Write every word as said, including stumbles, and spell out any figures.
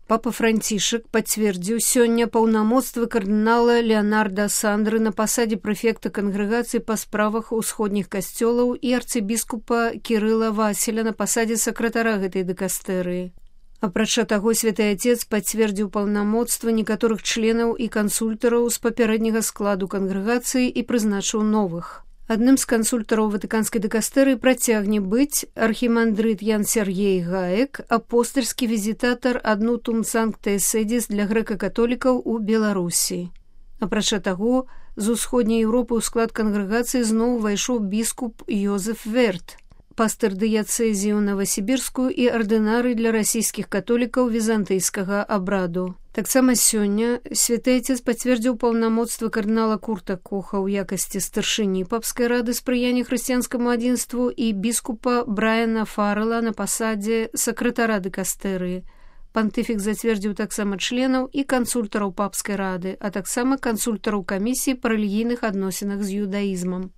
Папа Францішак пацвердзіў сёння паўнамоцтвы кардынала Леонарда Сандры на пасадзе прэфекта кангрэгацыі па справах усходніх касцёлаў і арцыбіскупа Кірыла Васіля на пасадзе сакратара гэтай дыкастэрыі. Апрача таго, святы Отец пацвердзіў паўнамоцтва некаторых членаў і кансультараў з папярэдняга складу кангрэгацыі і прызначыў новых. Адным з кансультараў ватыканскай дыкастэрыі працягне быць архімандрыт Ян Сергей Гаек, апостальскі візітатар аднутум Санкта Эседзіс для грэка-католікаў у Беларусі. Апрача таго, з усходняй Еўропы ў склад кангрэгацыі зноў увайшоў біскуп Йозеф Верт, пастыр дыяцэзію Новасібірскую і ардынарый для расійскіх католікаў візантыйскага абраду. Таксама сёння святы Отец пацвердзіў паўнамоцтвы кардынала Курта Коха ў якасці старшыні папскай рады спрыяння хрысціянскаму адзінству і біскупа Брайана Фаррела на пасадзе сакратара дыкастэрыі. Пантыфік зацвердзіў таксама членаў і кансультараў папскай рады, а таксама кансультараў камісіі па рэлігійных адносінах з юдаізмам.